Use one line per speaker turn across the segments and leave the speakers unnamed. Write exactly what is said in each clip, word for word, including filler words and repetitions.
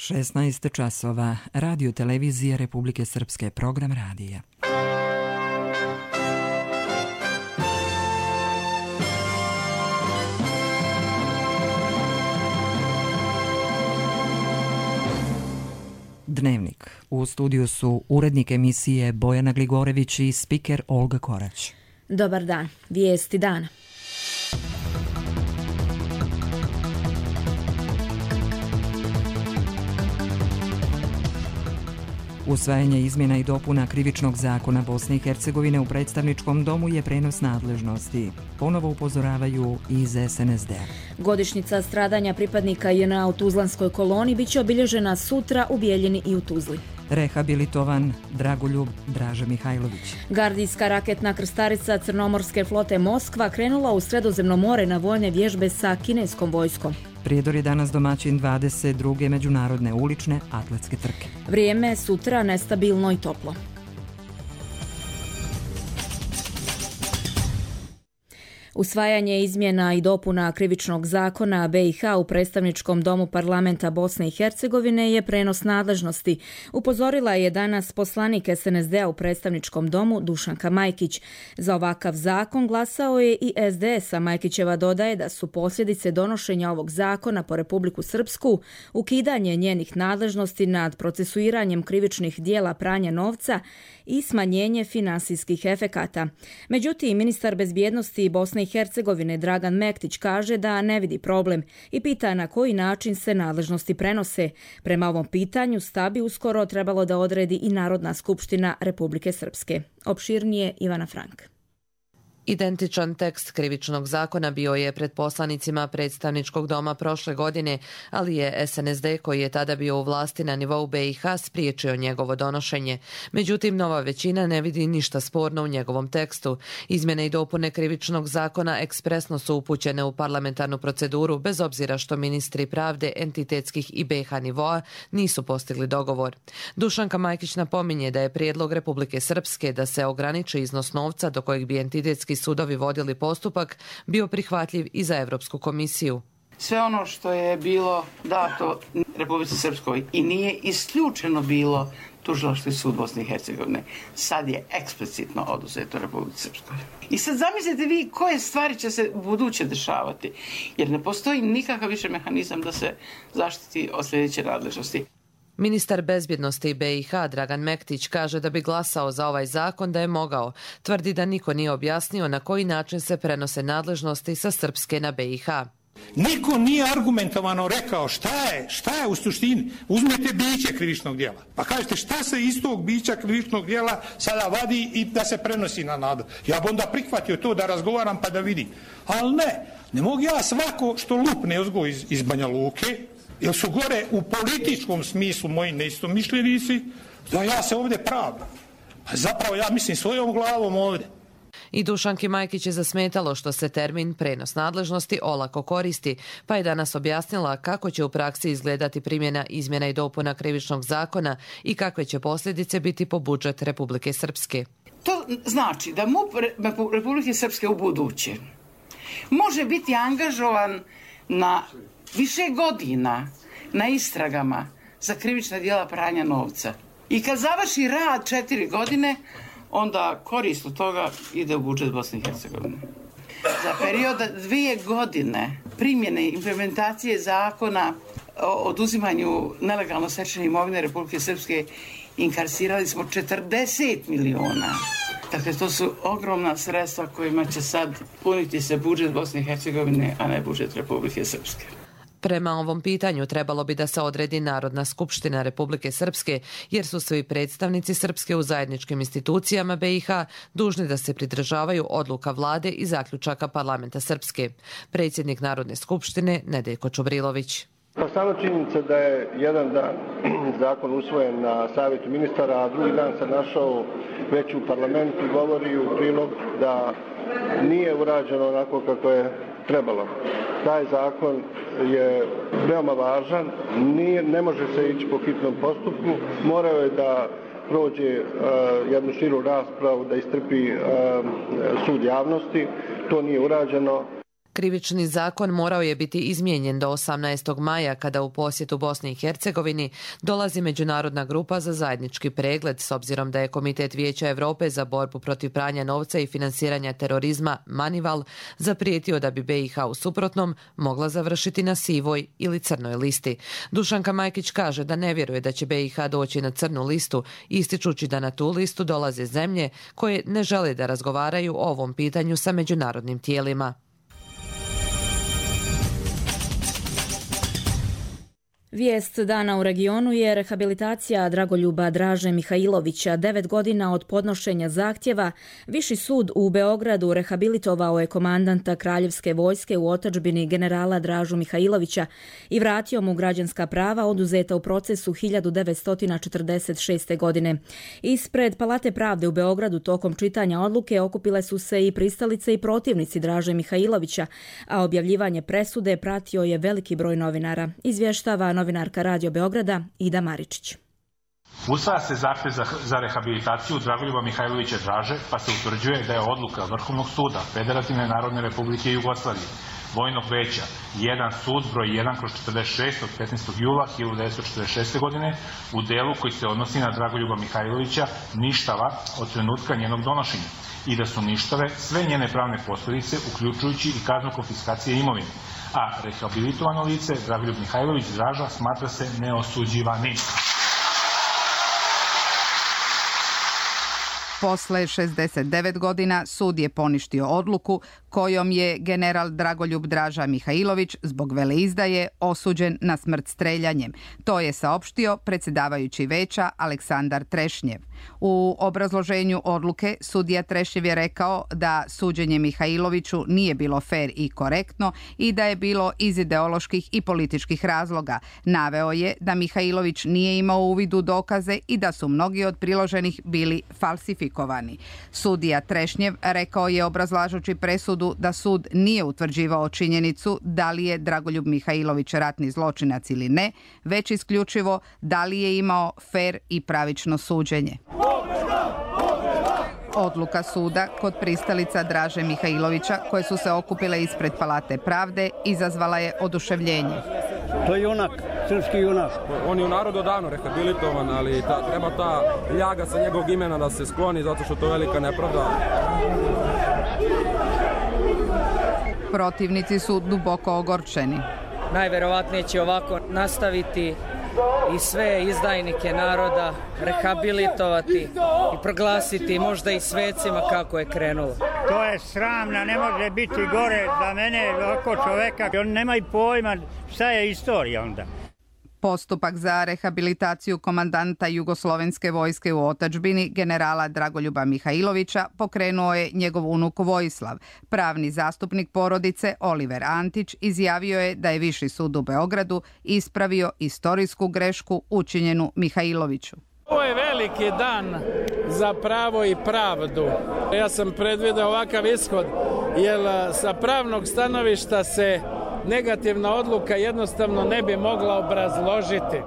šesnaest časova, Radio televizije Republike Srpske, program radija. Dnevnik. U studiju su urednik emisije Bojana Gligorević i spiker Olga Korać.
Dobar dan. Vijesti dana.
Usvajanje izmjena i dopuna Krivičnog zakona Bosne i Hercegovine u predstavničkom domu je prenos nadležnosti. Ponovo upozoravaju iz es en es de a.
Godišnjica stradanja pripadnika je na u Tuzlanskoj koloni biće obilježena sutra u Bijeljini i u Tuzli.
Rehabilitovan Dragoljub Draža Mihajlović.
Gardijska raketna krstarica Crnomorske flote Moskva krenula u Sredozemno more na vojne vježbe sa kineskom vojskom.
Prijedor je danas domaćin dvadeset druge međunarodne ulične atletske trke.
Vrijeme sutra nestabilno i toplo. Usvajanje izmjena i dopuna Krivičnog zakona be i ha u predstavničkom domu parlamenta Bosne i Hercegovine je prenos nadležnosti. Upozorila je danas poslanik es en es de a u predstavničkom domu Dušanka Majkić. Za ovakav zakon glasao je i es de es, a Majkićeva dodaje da su posljedice donošenja ovog zakona po Republiku Srpsku ukidanje njenih nadležnosti nad procesuiranjem krivičnih dijela pranja novca i smanjenje finansijskih efekata. Međutim, ministar bezbjednosti Bosne i Hercegovine Dragan Mektić kaže da ne vidi problem i pita na koji način se nadležnosti prenose. Prema ovom pitanju stav bi uskoro trebalo da odredi i Narodna skupština Republike Srpske. Opširnije Ivana Frank.
Identičan tekst Krivičnog zakona bio je pred poslanicima predstavničkog doma prošle godine, ali je es en es de, koji je tada bio u vlasti na nivou be i ha, spriječio njegovo donošenje. Međutim, nova većina ne vidi ništa sporno u njegovom tekstu. Izmjene i dopune Krivičnog zakona ekspresno su upućene u parlamentarnu proceduru, bez obzira što ministri pravde entitetskih i be i ha nivoa nisu postigli dogovor. Dušanka Majkić napominje da je prijedlog Republike Srpske da se ograniči iznos novca do kojeg bi entitetski sudovi vodili postupak bio prihvatljiv i za Evropsku komisiju.
Sve ono što je bilo dato Republici Srpskoj i nije isključeno bilo Tužilački sud Bosne i Hercegovine, sad je eksplicitno oduzeto Republici Srpskoj. I sad zamislite vi koje stvari će se buduće dešavati, jer ne postoji nikakav više mehanizam da se zaštiti od sljedeće nadležnosti.
Ministar bezbjednosti be i ha Dragan Mektić kaže da bi glasao za ovaj zakon da je mogao. Tvrdi da niko nije objasnio na koji način se prenose nadležnosti sa Srpske na be i ha.
Niko nije argumentovano rekao šta je, šta je u suštini. Uzmete biće krivičnog djela, pa kažete šta se iz tog bića krivičnog djela sada vadi i da se prenosi na nadležnost. Ja bi onda prihvatio to da razgovaram pa da vidim. Ali ne, ne mogu ja svako što lupne uzgo iz, iz Banja Luke, jer su gore u političkom smislu moji neistomišljenici, da ja se ovdje pravdam. A zapravo ja mislim svojom glavom ovdje.
I Dušanki Majkić je zasmetalo što se termin prenos nadležnosti olako koristi, pa je danas objasnila kako će u praksi izgledati primjena izmjena i dopuna Krivičnog zakona i kakve će posljedice biti po budžet Republike Srpske.
To znači da MUP Republike Srpske u buduće može biti angažovan na više godina na istragama za krivična djela pranja novca. I kad završi rad četiri godine, onda korist od toga ide u budžet Bosne i Hercegovine. Za period dvije godine primjene i implementacije zakona o oduzimanju nelegalno stečene imovine Republike Srpske inkarsirali smo četrdeset miliona. Dakle, to su ogromna sredstva kojima će sad puniti se budžet Bosne i Hercegovine, a ne budžet Republike Srpske.
Prema ovom pitanju trebalo bi da se odredi Narodna skupština Republike Srpske, jer su svi predstavnici Srpske u zajedničkim institucijama be i ha dužni da se pridržavaju odluka vlade i zaključaka parlamenta Srpske. Predsjednik Narodne skupštine Nedeljko Čubrilović.
Pa sama činjenica da je jedan dan zakon usvojen na savjetu ministara, a drugi dan se našao već u parlamentu, govori u prilog da nije urađeno onako kako je trebalo. Taj zakon je veoma važan, nije, ne može se ići po hitnom postupku, morao je da prođe uh, jednu širu raspravu, da istrpi uh, sud javnosti, to nije urađeno.
Krivični zakon morao je biti izmijenjen do osamnaestog maja kada u posjetu Bosni i Hercegovini dolazi međunarodna grupa za zajednički pregled s obzirom da je Komitet Vijeća Europe za borbu protiv pranja novca i finansiranja terorizma Manival zaprijetio da bi B i H u suprotnom mogla završiti na sivoj ili crnoj listi. Dušanka Majkić kaže da ne vjeruje da će B i H doći na crnu listu, ističući da na tu listu dolaze zemlje koje ne žele da razgovaraju o ovom pitanju sa međunarodnim tijelima.
Vijest dana u regionu je rehabilitacija Dragoljuba Draže Mihajlovića. Devet godina od podnošenja zahtjeva, Viši sud u Beogradu rehabilitovao je komandanta Kraljevske vojske u otadžbini generala Dražu Mihajlovića i vratio mu građanska prava oduzeta u procesu hiljadu devetsto četrdeset šeste. godine. Ispred Palate pravde u Beogradu tokom čitanja odluke okupile su se i pristalice i protivnici Draže Mihajlovića, a objavljivanje presude pratio je veliki broj novinara. Izvještava novinarka Radio Beograda Ida Maričić.
Usvaja se zahtjev za, za rehabilitaciju Dragoljuba Mihajlovića Draže, pa se utvrđuje da je odluka Vrhovnog suda Federativne Narodne Republike Jugoslavije, Vojnog veća jedan sud broj jedan kroz četrdeset šest od petnaestog jula hiljadu devetsto četrdeset šeste. godine u delu koji se odnosi na Dragoljuba Mihajlovića ništava od trenutka njenog donošenja i da su ništave sve njene pravne posljedice, uključujući i kaznu konfiskacije imovine, a rehabilitovano lice Dragoljub Mihajlović Draža smatra se neosuđivanim.
Posle šezdeset devet godina sud je poništio odluku kojom je general Dragoljub Draža Mihajlović zbog veleizdaje osuđen na smrt streljanjem. To je saopštio predsjedavajući veća Aleksandar Trešnjev. U obrazloženju odluke sudija Trešnjev je rekao da suđenje Mihajloviću nije bilo fer i korektno i da je bilo iz ideoloških i političkih razloga. Naveo je da Mihajlović nije imao uvid u dokaze i da su mnogi od priloženih bili falsifikovani. Sudija Trešnjev rekao je obrazlažući presudu da sud nije utvrđivao činjenicu da li je Dragoljub Mihajlović ratni zločinac ili ne, već isključivo da li je imao fer i pravično suđenje. Odluka suda kod pristalica Draže Mihajlovića, koje su se okupile ispred Palate pravde, izazvala je oduševljenje.
To je junak, srpski junak.
On je u narodu davno rehabilitovan, ali ta, treba ta ljaga sa njegovog imena da se skloni, zato što to je velika nepravda.
Protivnici su duboko ogorčeni.
Najverovatnije će ovako nastaviti i sve izdajnike naroda rehabilitovati i proglasiti možda i svecima kako je krenulo.
To je sramno, ne može biti gore za mene ovako čoveka. On nema i pojma šta je istorija onda.
Postupak za rehabilitaciju komandanta Jugoslovenske vojske u otadžbini generala Dragoljuba Mihajlovića pokrenuo je njegov unuk Vojislav. Pravni zastupnik porodice Oliver Antić izjavio je da je Viši sud u Beogradu ispravio istorijsku grešku učinjenu Mihajloviću.
Ovo je veliki dan za pravo i pravdu. Ja sam predvideo ovakav ishod, jer sa pravnog stanovišta se negativna odluka jednostavno ne bi mogla obrazložiti.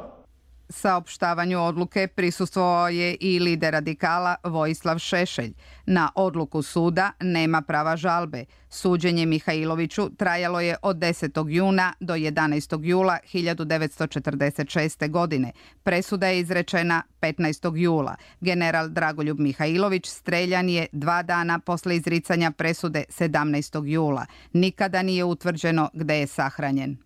Saopštavanju odluke prisustvovao je i lider radikala Vojislav Šešelj. Na odluku suda nema prava žalbe. Suđenje Mihajloviću trajalo je od desetog juna do jedanaestog jula hiljadu devetsto četrdeset šeste. godine. Presuda je izrečena petnaestog jula. General Dragoljub Mihajlović streljan je dva dana posle izricanja presude sedamnaestog jula. Nikada nije utvrđeno gde je sahranjen.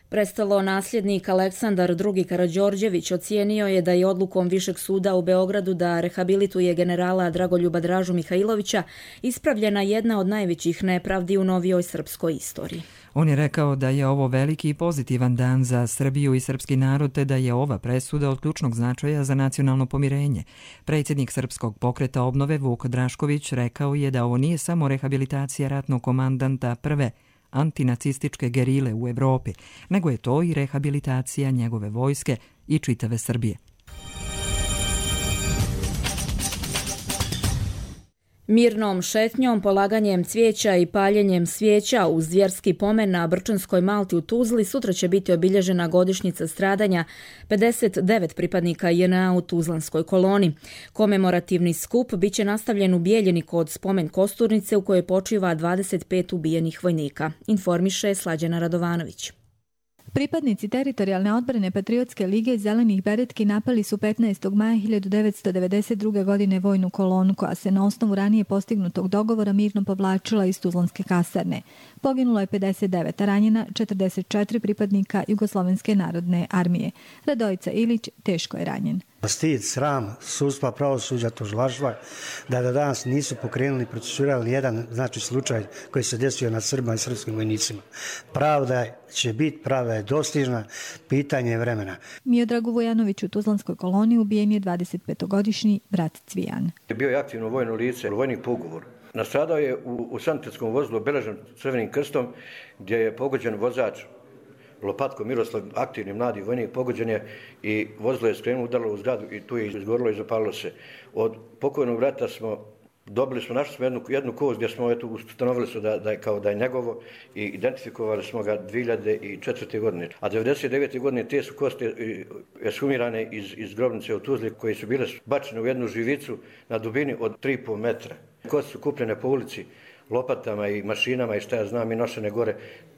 Prestalo nasljednik Aleksandar drugi. Karađorđević ocijenio je da je odlukom Višeg suda u Beogradu da rehabilituje generala Dragoljuba Dražu Mihajlovića ispravljena jedna od najvećih nepravdi u novijoj srpskoj istoriji.
On je rekao da je ovo veliki i pozitivan dan za Srbiju i srpski narod, te da je ova presuda od ključnog značaja za nacionalno pomirenje. Predsjednik Srpskog pokreta obnove Vuk Drašković rekao je da ovo nije samo rehabilitacija ratnog komandanta prve antinacističke gerile u Evropi, nego je to i rehabilitacija njegove vojske i čitave Srbije.
Mirnom šetnjom, polaganjem cvijeća i paljenjem svijeća uz vjerski pomen na Brčanskoj Malti u Tuzli sutra će biti obilježena godišnjica stradanja pedeset devet pripadnika J N A u Tuzlanskoj koloni. Komemorativni skup biće nastavljen u Bijeljini kod spomen kosturnice u kojoj počiva dvadeset pet ubijenih vojnika, informiše Slađana Radovanović.
Pripadnici teritorijalne odbrane Patriotske lige Zelenih beretki napali su petnaestog maja hiljadu devetsto devedeset druge. godine vojnu kolonu koja se na osnovu ranije postignutog dogovora mirno povlačila iz Tuzlanske kasarne. Poginulo je pedeset devet, a ranjena četrdeset četiri pripadnika Jugoslovenske narodne armije. Radojica Ilić teško je ranjen.
Stid, sram, sudstva, pravosuđa, tužilaštva, da do danas nisu pokrenuli, procesuirali jedan znači slučaj koji se desio nad Srbima i srpskim vojnicima. Pravda će biti, pravda je dostižna, pitanje vremena.
Miodragu Vujanoviću u Tuzlanskoj koloni ubijen je dvadesetpetogodišnji brat Cvijan.
Bio je aktivno vojno lice, vojnik po ugovoru. Nastradao je u, u sanitetskom vozilu obeležen crvenim krstom gdje je pogođen vozač Lopatko Miroslav, aktivni mladi vojnik, pogođen je i vozilo je skrenulo, udarilo u zgradu i tu je izgorilo i zapalilo se. Od pokojnog brata smo dobili smo, našli smo jednu, jednu kost gdje smo eto, ustanovili su da, da je kao da je njegovo i identifikovali smo ga dvije hiljade četvrte. godine. A devedeset devete. godine te su koste ekshumirane iz, iz grobnice u Tuzli koje su bile bačene u jednu živicu na dubini od tri i pol metra. Koste su kupljene po ulici lopatama i mašinama i šta ja znam i nošene gore,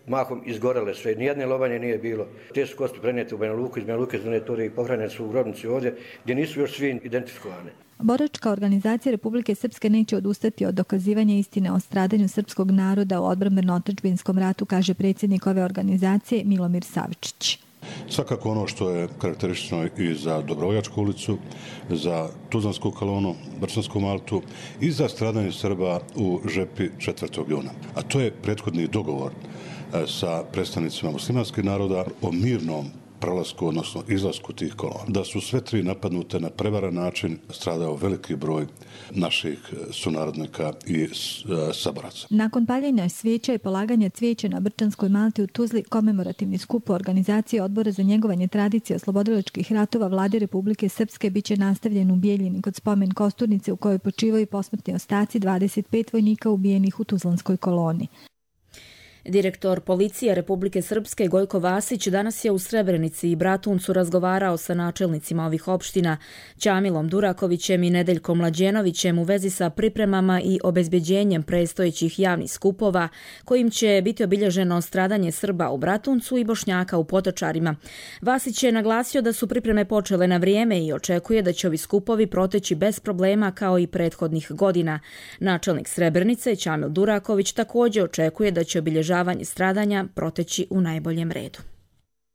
mahom izgorele sve, nijedne lobanje nije bilo. Te su kosti prenijete u Banja Luku, iz Banja Luke donatori i pohranjene su u grobnici ovdje gdje nisu još svi identifikovane.
Boračka organizacija Republike Srpske neće odustati od dokazivanja istine o stradanju srpskog naroda u odbrambeno-otadžbinskom ratu, kaže predsjednik ove organizacije Milomir Savičić.
Svakako ono što je karakteristično i za Dobrovoljačku ulicu, za Tuzlansku kolonu, Brčansku Maltu i za stradanje Srba u Žepi četvrtog juna. A to je prethodni dogovor sa predstavnicima muslimanskih naroda o mirnom prelasku, odnosno izlasku tih kolona. Da su sve tri napadnute na prevaran način, stradao veliki broj naših sunarodnika i saboraca.
Nakon paljenja svijeća i polaganja cvijeća na Brčanskoj Malti u Tuzli, komemorativni skup u organizaciji Odbora za njegovanje tradicije oslobodilačkih ratova Vlade Republike Srpske biće nastavljen u Bijeljini kod spomen kosturnice u kojoj počivaju posmrtni ostaci dvadeset pet vojnika ubijenih u Tuzlanskoj koloni.
Direktor policije Republike Srpske Gojko Vasić danas je u Srebrenici i Bratuncu razgovarao sa načelnicima ovih opština Ćamilom Durakovićem i Nedeljkom Mlađenovićem u vezi sa pripremama i obezbeđenjem predstojećih javnih skupova kojim će biti obilježeno stradanje Srba u Bratuncu i Bošnjaka u Potočarima. Vasić je naglasio da su pripreme počele na vrijeme i očekuje da će ovi skupovi proteći bez problema kao i prethodnih godina. Načelnik Srebrenice Ćamil Duraković također očekuje da će obilježavanje stradanja proteći u najboljem redu.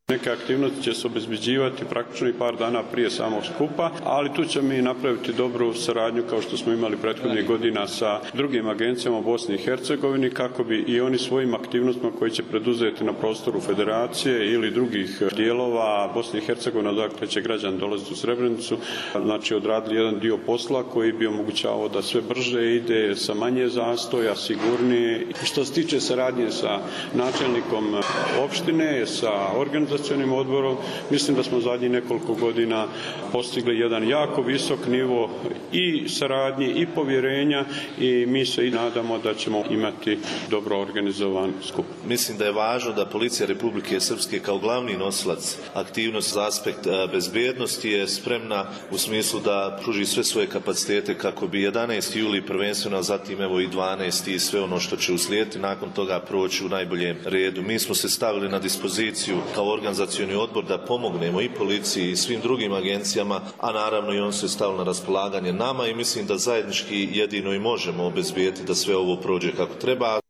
Neke aktivnosti će se obezbeđivati praktično i par dana prije samog skupa, ali tu ćemo mi napraviti dobru saradnju kao što smo imali prethodnih godina sa drugim agencijama u Bosni i Hercegovini kako bi i oni svojim aktivnostima koji će preduzeti na prostoru federacije ili drugih dijelova Bosne i Hercegovine, dakle će građani dolaziti u Srebrenicu, znači odradili jedan dio posla koji bi omogućavao da sve brže ide sa manje zastoja, sigurnije. Što se tiče saradnje sa načelnikom opštine, sa organizacijom odborom, mislim da smo zadnjih nekoliko godina postigli jedan jako visok nivo i saradnje i povjerenja i mi se i nadamo da ćemo imati dobro organizovan skup.
Mislim da je važno da Policija Republike Srpske kao glavni nosilac aktivnosti za aspekt bezbjednosti je spremna u smislu da pruži sve svoje kapacitete kako bi jedanaesti juli prvenstveno, zatim evo i dvanaesti i sve ono što će uslijediti nakon toga proći u najboljem redu. Mi smo se stavili na dispoziciju kao organizacioni odbor da pomognemo i policiji i svim drugim agencijama, a naravno i on se stavio na raspolaganje nama i mislim da zajednički jedino i možemo obezbijeti da sve ovo prođe kako treba.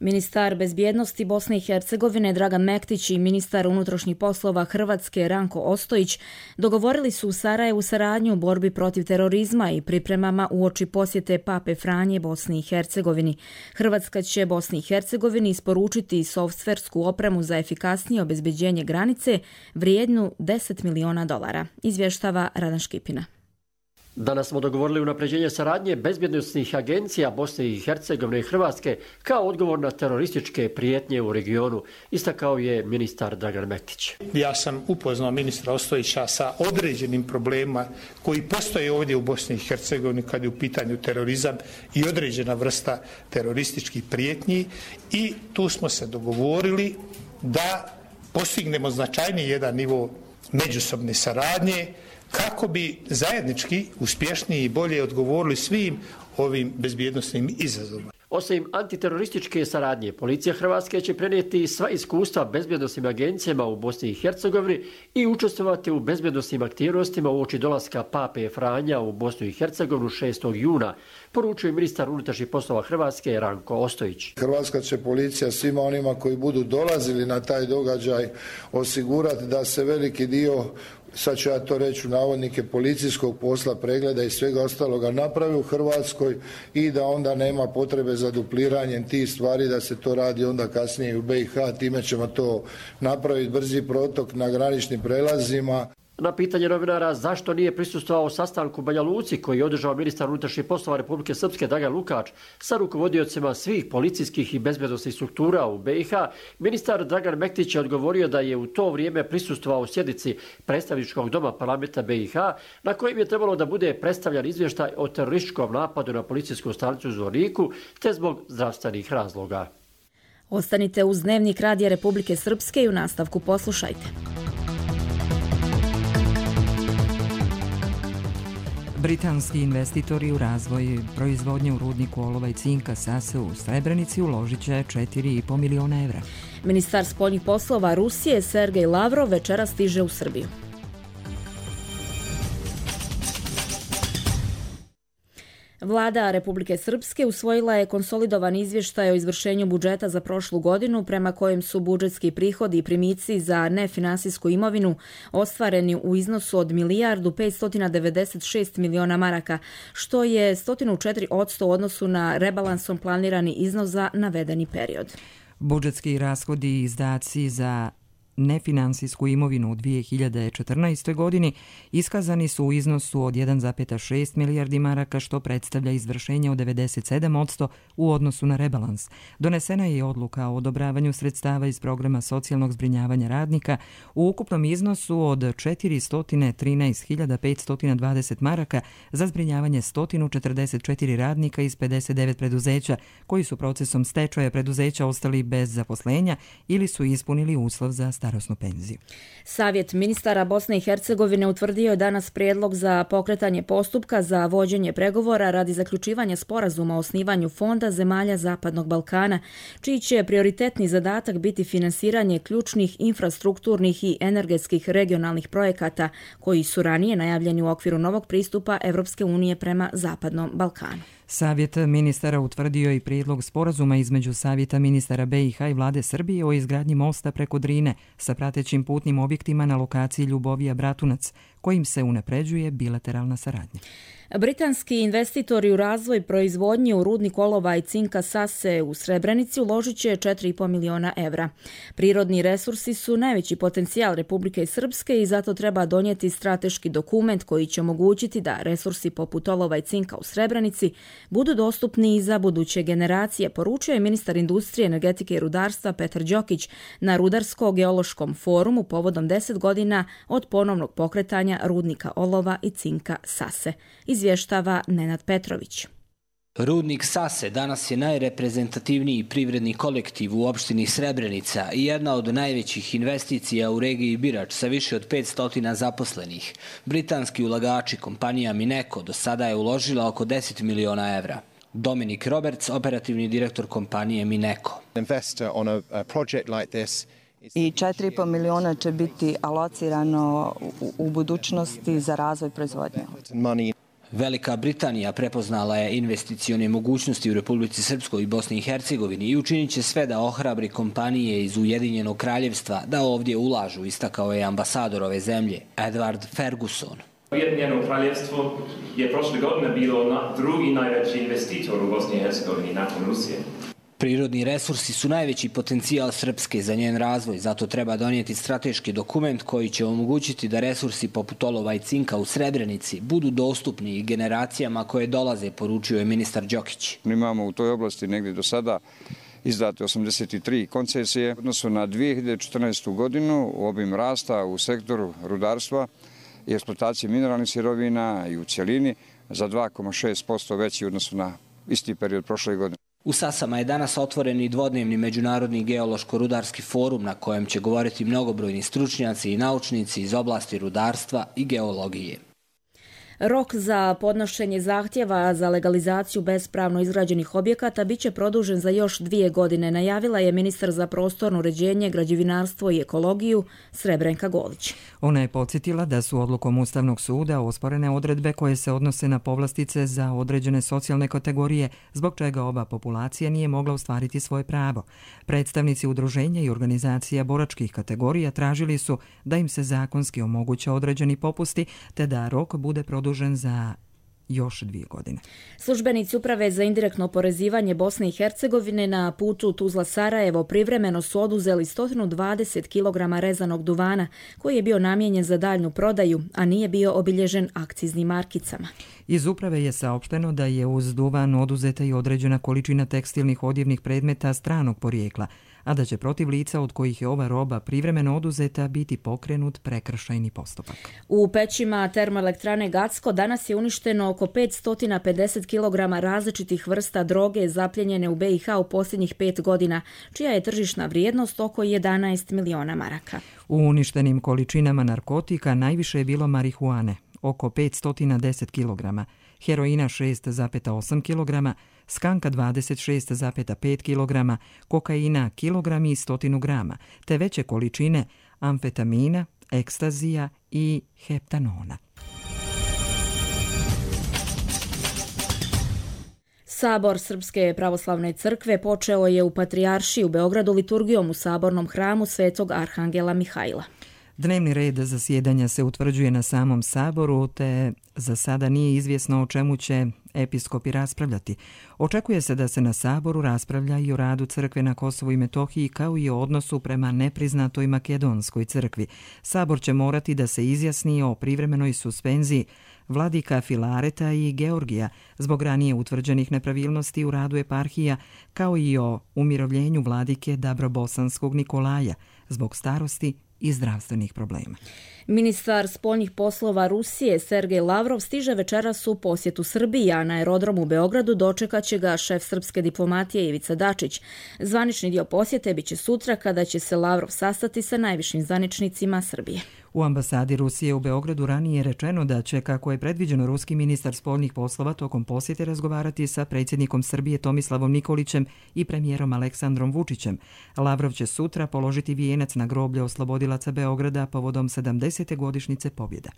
Ministar bezbjednosti Bosne i Hercegovine Dragan Mektić i ministar unutrašnjih poslova Hrvatske Ranko Ostojić dogovorili su u Sarajevu saradnju u borbi protiv terorizma i pripremama uoči posjete Pape Franje Bosni i Hercegovini. Hrvatska će Bosni i Hercegovini isporučiti softversku opremu za efikasnije obezbeđenje granice vrijednu deset miliona dolara, izvještava Radan Škipina.
Danas smo dogovorili unapređenje saradnje bezbjednosnih agencija Bosne i Hercegovine i Hrvatske kao odgovor na terorističke prijetnje u regionu, istakao je ministar Dragan Mektić.
Ja sam upoznao ministra Ostojića sa određenim problemima koji postoje ovdje u Bosni i Hercegovini kad je u pitanju terorizam i određena vrsta terorističkih prijetnji i tu smo se dogovorili da postignemo značajniji jedan nivo međusobne saradnje kako bi zajednički uspješniji i bolje odgovorili svim ovim bezbjednosnim izazovima.
Osim antiterorističke saradnje, policija Hrvatske će prenijeti sva iskustva bezbjednosnim agencijama u Bosni i Hercegovini i učestvovati u bezbjednosnim aktivnostima uoči dolaska Pape Franja u Bosnu i Hercegovinu šestog juna, poručuje ministar unutrašnjih poslova Hrvatske Ranko Ostojić.
Hrvatska će policija svima onima koji budu dolazili na taj događaj osigurati da se veliki dio, sad ću ja to reći u navodnike, policijskog posla, pregleda i svega ostaloga napravi u Hrvatskoj i da onda nema potrebe za dupliranjem tih stvari, da se to radi onda kasnije u B i H, time ćemo to napraviti brzi protok na graničnim prelazima.
Na pitanje novinara zašto nije prisustvovao sastanku u Banja Luci koji je održao ministar unutrašnjih poslova Republike Srpske Dragan Lukač sa rukovodiocima svih policijskih i bezbjednosnih struktura u B i H, ministar Dragan Mektić je odgovorio da je u to vrijeme prisustvovao sjednici predstavničkog doma parlamenta B i H na kojem je trebalo da bude predstavljan izvještaj o terorističkom napadu na policijsku stanicu u Zvorniku te zbog zdravstvenih razloga.
Ostanite uz Dnevnik Radija Republike Srpske i u nastavku poslušajte.
Britanski investitori u razvoj proizvodnje u rudniku olova i cinka Sase u Srebrenici uložit će četiri i po miliona evra.
Ministar spoljnih poslova Rusije Sergej Lavrov večeras stiže u Srbiju. Vlada Republike Srpske usvojila je konsolidovan izvještaj o izvršenju budžeta za prošlu godinu prema kojem su budžetski prihodi i primici za nefinansijsku imovinu ostvareni u iznosu od milijardu petsto devedeset šest miliona maraka, što je sto četiri posto u odnosu na rebalansom planirani iznos za navedeni period.
Budžetski rashodi i izdaci za nefinansijsku imovinu u dvije hiljade četrnaestoj. godini iskazani su u iznosu od jedan zarez šest milijardi maraka, što predstavlja izvršenje od devedeset sedam posto u odnosu na rebalans. Donesena je odluka o odobravanju sredstava iz programa socijalnog zbrinjavanja radnika u ukupnom iznosu od četiristo trinaest hiljada petsto dvadeset maraka za zbrinjavanje sto četrdeset četiri radnika iz pedeset devet preduzeća koji su procesom stečaja preduzeća ostali bez zaposlenja ili su ispunili uslov za starosnu penziju.
Savjet ministara Bosne i Hercegovine utvrdio je danas prijedlog za pokretanje postupka za vođenje pregovora radi zaključivanja sporazuma o osnivanju fonda zemalja Zapadnog Balkana, čiji će prioritetni zadatak biti finansiranje ključnih infrastrukturnih i energetskih regionalnih projekata koji su ranije najavljeni u okviru novog pristupa Evropske unije prema Zapadnom Balkanu.
Savjet ministara utvrdio i prijedlog sporazuma između Savjeta ministara B i H i vlade Srbije o izgradnji mosta preko Drine sa pratećim putnim objektima na lokaciji Ljubovija-Bratunac, kojim se unapređuje bilateralna saradnja.
Britanski investitori u razvoj proizvodnje u rudnik olova i cinka Sase u Srebrenici uložit će četiri i po miliona evra. Prirodni resursi su najveći potencijal Republike Srpske i zato treba donijeti strateški dokument koji će omogućiti da resursi poput olova i cinka u Srebrenici budu dostupni i za buduće generacije, poručio je ministar industrije, energetike i rudarstva Petar Đokić na Rudarsko-geološkom forumu povodom deset godina od ponovnog pokretanja rudnika olova i cinka Sase. Izvještava Nenad Petrović.
Rudnik Sase danas je najreprezentativniji privredni kolektiv u opštini Srebrenica i jedna od najvećih investicija u regiji Birač sa više od petsto zaposlenih. Britanski ulagači kompanija Mineco do sada je uložila oko deset miliona evra. Dominik Roberts, operativni direktor kompanije Mineco.
I četiri i po miliona će biti alocirano u, u budućnosti za razvoj proizvodnje.
Velika Britanija prepoznala je investicione mogućnosti u Republici Srpskoj i Bosni i Hercegovini i učinit će sve da ohrabri kompanije iz Ujedinjenog kraljevstva da ovdje ulažu, istakao je ambasador ove zemlje, Edward Ferguson.
Ujedinjeno kraljevstvo je prošle godine bilo na drugi najveći investitor u Bosni i Hercegovini nakon Rusije.
Prirodni resursi su najveći potencijal Srpske za njen razvoj, zato treba donijeti strateški dokument koji će omogućiti da resursi poput olova i cinka u Srebrenici budu dostupni i generacijama koje dolaze, poručio je ministar Đokić.
Imamo u toj oblasti negdje do sada izdate osamdeset tri koncesije. U odnosu na dvije hiljade četrnaestu. godinu obim rasta u sektoru rudarstva i eksploatacije mineralnih sirovina i u cjelini za dva zarez šest posto veći u odnosu na isti period prošle godine.
U Sasama je danas otvoren i dvodnevni međunarodni geološko-rudarski forum na kojem će govoriti mnogobrojni stručnjaci i naučnici iz oblasti rudarstva i geologije.
Rok za podnošenje zahtjeva za legalizaciju bespravno izgrađenih objekata biće produžen za još dvije godine, najavila je ministar za prostorno uređenje, građevinarstvo i ekologiju Srebrenka Golić.
Ona je podsjetila da su odlukom Ustavnog suda osporene odredbe koje se odnose na povlastice za određene socijalne kategorije, zbog čega ova populacija nije mogla ostvariti svoje pravo. Predstavnici udruženja i organizacija boračkih kategorija tražili su da im se zakonski omoguće određeni popusti, te da rok bude produžen za još dvije godine.
Službenici Uprave za indirektno oporezivanje Bosne i Hercegovine na putu Tuzla-Sarajevo privremeno su oduzeli sto dvadeset kilograma rezanog duvana koji je bio namijenjen za daljnju prodaju, a nije bio obilježen akciznim markicama.
Iz uprave je saopšteno da je uz duvan oduzeta i određena količina tekstilnih odjevnih predmeta stranog porijekla, a da će protiv lica od kojih je ova roba privremeno oduzeta biti pokrenut prekršajni postupak.
U pećima termoelektrane Gacko danas je uništeno oko petsto pedeset kilograma različitih vrsta droge zapljenjene u B i H u posljednjih pet godina, čija je tržišna vrijednost oko jedanaest miliona maraka.
U uništenim količinama narkotika najviše je bilo marihuane, oko petsto deset kilograma, heroina šest zarez osam kilograma, skanka dvadeset šest zarez pet kilograma, kokaina kilogrami i stotinu grama, te veće količine amfetamina, ekstazija i heptanona.
Sabor Srpske pravoslavne crkve počeo je u Patrijaršiji u Beogradu liturgijom u sabornom hramu Svetog Arhangela Mihajla.
Dnevni red zasjedanja se utvrđuje na samom saboru, te za sada nije izvjesno o čemu će episkopi raspravljati. Očekuje se da se na saboru raspravlja i o radu crkve na Kosovu i Metohiji, kao i o odnosu prema nepriznatoj makedonskoj crkvi. Sabor će morati da se izjasni o privremenoj suspenziji vladika Filareta i Georgija zbog ranije utvrđenih nepravilnosti u radu eparhija, kao i o umirovljenju vladike Dabrobosanskog Nikolaja zbog starosti i zdravstvenih problema.
Ministar spoljnih poslova Rusije Sergej Lavrov stiže večeras u posjetu Srbiji, a na aerodromu u Beogradu dočekat će ga šef srpske diplomatije Ivica Dačić. Zvanični dio posjete biće sutra kada će se Lavrov sastati sa najvišim zvaničnicima Srbije.
U ambasadi Rusije u Beogradu ranije je rečeno da će, kako je predviđeno, ruski ministar spoljnih poslova tokom posjete razgovarati sa predsjednikom Srbije Tomislavom Nikolićem i premijerom Aleksandrom Vučićem. Lavrov će sutra položiti vijenac na groblje oslobodilaca Beograda povodom sedamdesete godišnjice pobjeda.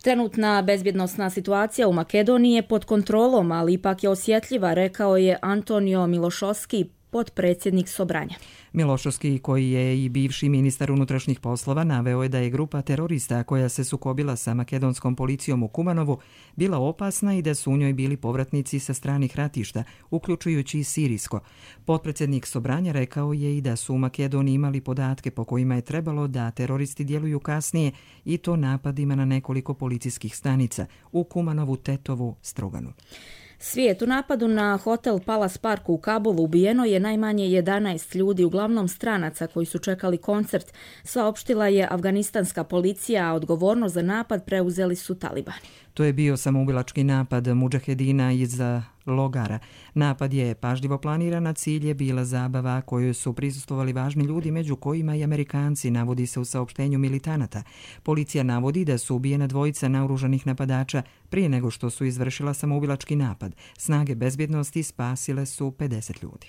Trenutna bezbjednosna situacija u Makedoniji je pod kontrolom, ali ipak je osjetljiva, rekao je Antonio Milošovski, potpredsjednik Sobranja.
Milošovski, koji je i bivši ministar unutrašnjih poslova, naveo je da je grupa terorista koja se sukobila sa makedonskom policijom u Kumanovu bila opasna i da su u njoj bili povratnici sa stranih ratišta, uključujući i sirijsko. Potpredsjednik Sobranja rekao je i da su u Makedoniji imali podatke po kojima je trebalo da teroristi djeluju kasnije, i to napadima na nekoliko policijskih stanica u Kumanovu, Tetovu, Struganu.
Svijet u napadu na hotel Palace Park u Kabulu ubijeno je najmanje jedanaest ljudi, uglavnom stranaca koji su čekali koncert, saopštila je afganistanska policija, a odgovornost za napad preuzeli su talibani.
To je bio samoubilački napad mudžahedina iz logara. Napad je pažljivo planiran, a cilj je bila zabava kojoj su prisustvovali važni ljudi, među kojima i Amerikanci, navodi se u saopštenju militanata. Policija navodi da su ubijena dvojica naoružanih napadača prije nego što su izvršila samoubilački napad. Snage bezbjednosti spasile su pedeset ljudi.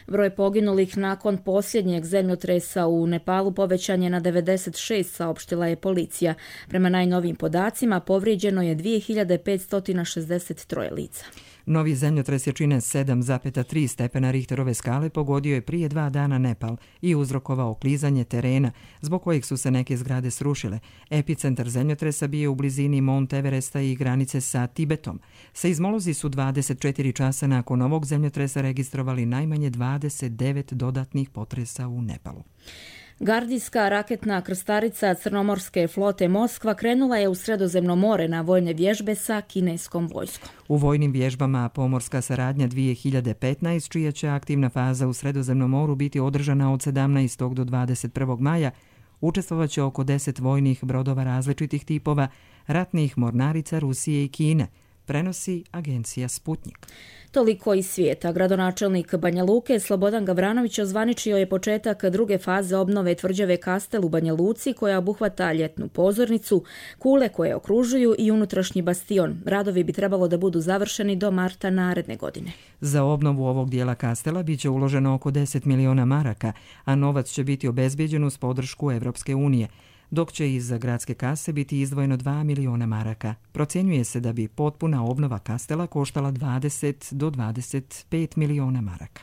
Broj poginulih nakon posljednjeg zemljotresa u Nepalu povećan je na devedeset šest, saopštila je policija. Prema najnovijim podacima povrijeđeno je dvije hiljade petsto šezdeset tri lica.
Novi zemljotres jačine sedam zarez tri stepena Richterove skale pogodio je prije dva dana Nepal i uzrokovao klizanje terena, zbog kojeg su se neke zgrade srušile. Epicentar zemljotresa bio u blizini Mount Everesta i granice sa Tibetom. Seizmolozi su dvadeset četiri časa nakon ovog zemljotresa registrovali najmanje dvadeset devet dodatnih potresa u Nepalu.
Gardijska raketna krstarica Crnomorske flote Moskva krenula je u Sredozemno more na vojne vježbe sa kineskom vojskom.
U vojnim vježbama Pomorska saradnja dvije hiljade petnaest, čija će aktivna faza u Sredozemnom moru biti održana od sedamnaestog do dvadeset prvog maja, učestvovaće oko deset vojnih brodova različitih tipova, ratnih mornarica Rusije i Kine, prenosi agencija Sputnik.
Toliko iz svijeta. Gradonačelnik Banja Luke Slobodan Gavranović ozvaničio je početak druge faze obnove tvrđave Kastel u Banja Luci, koja obuhvata ljetnu pozornicu, kule koje okružuju i unutrašnji bastion. Radovi bi trebalo da budu završeni do marta naredne godine.
Za obnovu ovog dijela Kastela biće uloženo oko deset miliona maraka, a novac će biti obezbijeđen uz podršku Evropske unije, dok će iz gradske kase biti izdvojeno dva miliona maraka. Procjenjuje se da bi potpuna obnova Kastela koštala dvadeset do dvadeset pet miliona maraka.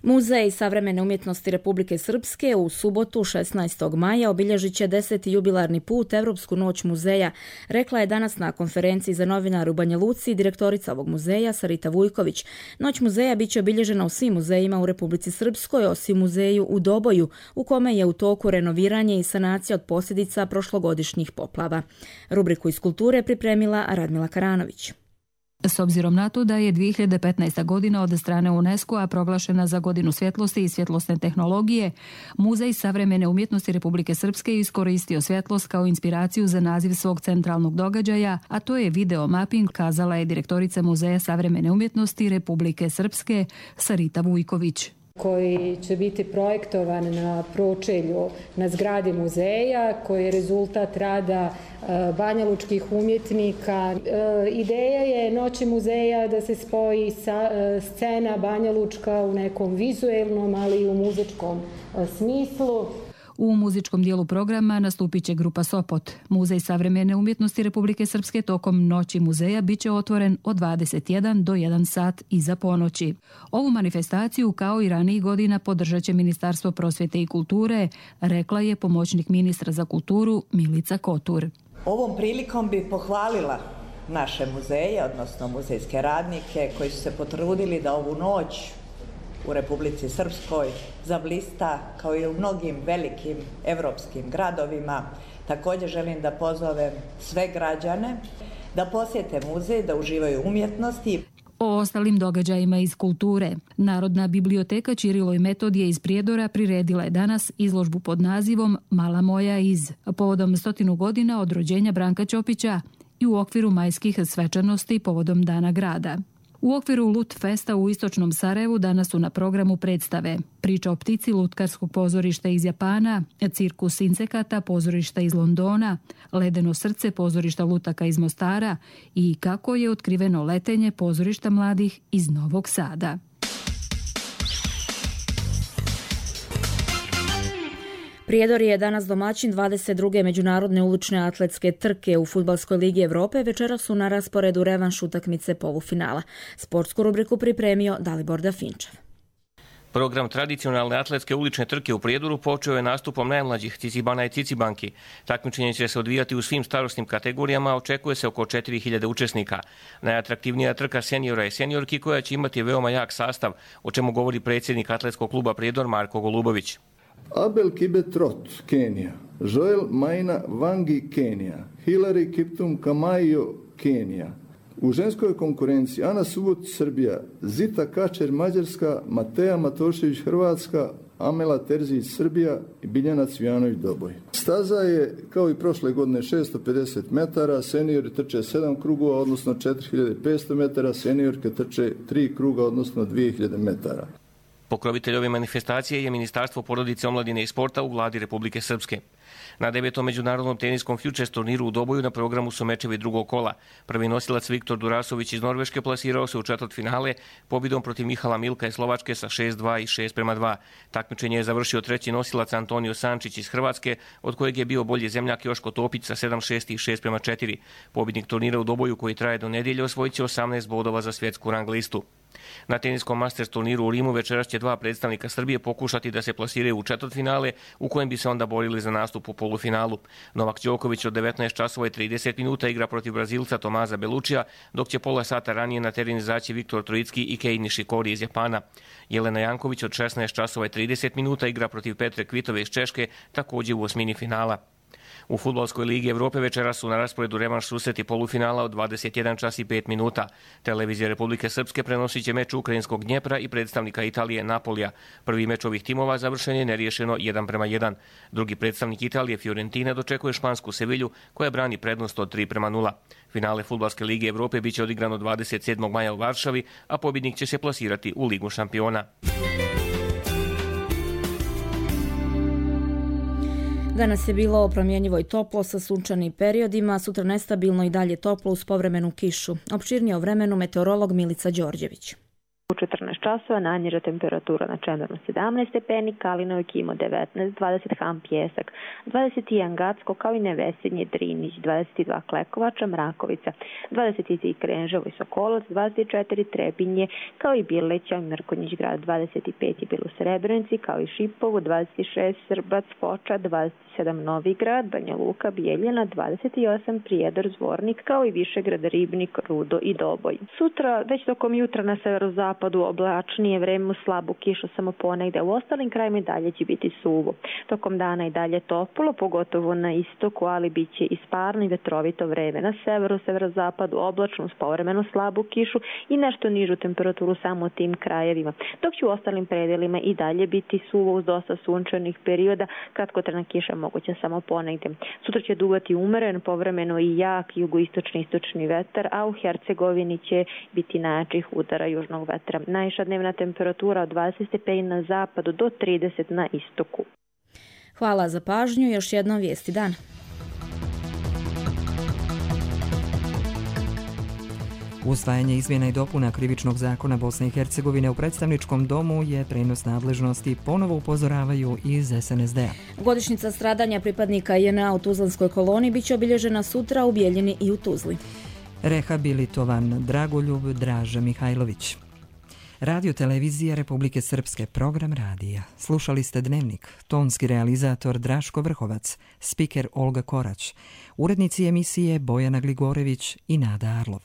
Muzej savremene umjetnosti Republike Srpske u subotu šesnaestog maja obilježit će deseti jubilarni put Evropsku noć muzeja, rekla je danas na konferenciji za novinare u Banja Luci direktorica ovog muzeja Sarita Vujković. Noć muzeja biće obilježena u svim muzejima u Republici Srpskoj, osim muzeju u Doboju, u kome je u toku renoviranje i sanacija od posljedica prošlogodišnjih poplava. Rubriku iz kulture pripremila Radmila Karanović.
S obzirom na to da je dvije hiljade petnaesta. godina od strane UNESCO-a proglašena za godinu svjetlosti i svjetlosne tehnologije, Muzej savremene umjetnosti Republike Srpske iskoristio svjetlost kao inspiraciju za naziv svog centralnog događaja, a to je video mapping, kazala je direktorica Muzeja savremene umjetnosti Republike Srpske Sarita Vujković,
koji će biti projektovan na pročelju na zgradi muzeja, koji je rezultat rada banjalučkih umjetnika. Ideja je Noći muzeja da se spoji sa, scena banjalučka u nekom vizuelnom, ali i u muzičkom smislu.
U muzičkom dijelu programa nastupit će grupa Sopot. Muzej savremene umjetnosti Republike Srpske tokom Noći muzeja bit će otvoren od dvadeset jedan do jedan sat iza ponoći. Ovu manifestaciju, kao i ranijih godina, podržat će Ministarstvo prosvjete i kulture, rekla je pomoćnik ministra za kulturu Milica Kotur.
Ovom prilikom bi pohvalila naše muzeje, odnosno muzejske radnike koji su se potrudili da ovu noć u Republici Srpskoj zablista kao i u mnogim velikim evropskim gradovima. Također želim da pozovem sve građane da posjete muzej, da uživaju umjetnosti.
O ostalim događajima iz kulture. Narodna biblioteka Ćirilo i Metodije iz Prijedora priredila je danas izložbu pod nazivom Mala moja iz, povodom stotinu godina od rođenja Branka Ćopića i u okviru majskih svečanosti povodom Dana grada. U okviru Lut Festa u istočnom Sarajevu danas su na programu predstave Priča o ptici lutkarskog pozorišta iz Japana, Cirkus insekata pozorišta iz Londona, Ledeno srce pozorišta lutaka iz Mostara i Kako je otkriveno letenje pozorišta mladih iz Novog Sada.
Prijedor je danas domaćin dvadeset druge međunarodne ulične atletske trke u Fudbalskoj ligi Evrope. Večera su na rasporedu revanš utakmice polufinala. Sportsku rubriku pripremio Dalibor Dafinčev.
Program tradicionalne atletske ulične trke u Prijedoru počeo je nastupom najmlađih Cicibana i Cicibanki. Takmičenje će se odvijati u svim starosnim kategorijama, očekuje se oko četiri hiljade učesnika. Najatraktivnija trka seniora i seniorki koja će imati veoma jak sastav, o čemu govori predsjednik atletskog kluba Prijedor Marko Golubović.
Abel Kibetrot, Kenija, Joel Maina Vangi, Kenija, Hilary Kiptum Kamayo, Kenija. U ženskoj konkurenciji Ana Subotić, Srbija, Zita Kačer, Mađarska, Mateja Matošević, Hrvatska, Amela Terzić, Srbija i Biljana Cvijanović, Doboj. Staza je, kao i prošle godine, šesto pedeset metara, seniori trče sedam krugova, odnosno četiri hiljade petsto metara, seniorke trče tri kruga, odnosno dvije hiljade metara.
Pokrovitelj ove manifestacije je Ministarstvo porodice, omladine i sporta u vladi Republike Srpske. Na devetom međunarodnom teniskom Futures turniru u Doboju na programu su mečevi drugog kola. Prvi nosilac Viktor Durasović iz Norveške plasirao se u četvrtfinale pobjedom protiv Mihala Milka iz Slovačke sa šest dva i šest prema dva. Takmičenje je završio treći nosilac Antonio Sančić iz Hrvatske, od kojeg je bio bolji zemljak Joško Topić sa sedam šest i šest prema četiri. Pobjednik turnira u Doboju koji traje do nedjelje osvojit će osamnaest bodova za svjetsku rang listu. Na teniskom Masters turniru u Rimu večeras će dva predstavnika Srbije pokušati da se plasiraju u četvrtfinale, u kojem bi se onda borili za nastup u polufinalu. Novak Đoković od devetnaest časova i trideset minuta igra protiv Brazilca Tomaza Belučija, dok će pola sata ranije na teren izaći Viktor Trojicki i Kei Nishikori iz Japana. Jelena Janković od šesnaest časova i trideset minuta igra protiv Petre Kvitove iz Češke, također u osmini finala. U Fudbalskoj ligi Evrope večeras su na rasporedu revanš susreti polufinala od dvadeset jedan čas i pet minuta. Televizija Republike Srpske prenosit će meč ukrajinskog Dnjepra i predstavnika Italije Napolija. Prvi meč ovih timova završen je neriješeno jedan prema jedan. Drugi predstavnik Italije Fiorentina dočekuje špansku Sevilju koja brani prednost od tri prema nula. Finale Fudbalske lige Evrope biće odigrano dvadeset sedmog maja u Varšavi, a pobjednik će se plasirati u Ligu šampiona.
Danas je bilo promjenjivo i toplo sa sunčanim periodima, sutra nestabilno i dalje toplo uz povremenu kišu. Opširnije o vremenu meteorolog Milica Đorđević.
U četrnaest časova najniža temperatura na Čemernu sedamnaest stepeni, Kalinoj Kimo devetnaest, dvadeset Han Pjesak, dvadeset jedan Gacko kao i Nevesinje Drinić, dvadeset dva Klekovača, Mrakovica, dvadeset tri Krenževo i Sokolac, dvadeset četiri Trebinje kao i Birleća, Mrkonjić grad, dvadeset pet je bilo u Srebrenici kao i Šipovu, dvadeset šest Srbac, Foča, dvadeset sedam Novigrad, Banja Luka, Bijeljina, dvadeset osam Prijedor, Zvornik kao i Višegrad, Ribnik, Rudo i Doboj. Sutra, već tokom jutra na severozapadu oblačnije vreme uz slabu kišu samo ponegde, u ostalim krajima i dalje će biti suvo. Tokom dana i dalje toplo, pogotovo na istoku, ali bit će i sparno i vetrovito vreme. Na severu, severozapadu oblačno uz povremeno slabu kišu i nešto nižu temperaturu samo u tim krajevima. Dok će u ostalim predelima i dalje biti suvo uz dosta sunčanih perioda, kratkotrajna kiša moguće samo ponegde. Sutra će duvati umeren, povremeno i jak jugoistočni istočni vetar, a u Hercegovini će biti najjačih udara južnog vetra. Najviša dnevna temperatura od dvadeset stepeni na zapadu do trideset na istoku.
Hvala za pažnju, još jednom vijesti dana.
Usvajanje izmjena i dopuna Krivičnog zakona Bosne i Hercegovine u predstavničkom domu je prenos nadležnosti, ponovo upozoravaju iz es en es de a.
Godišnjica stradanja pripadnika je en a u Tuzlanskoj koloni biće obilježena sutra u Bijeljini i u Tuzli.
Rehabilitovan Dragoljub Draža Mihajlović. Radio televizija Republike Srpske, program radija. Slušali ste Dnevnik, tonski realizator Draško Vrhovac, spiker Olga Korać, urednici emisije Bojana Gligorević i Nada Arlov.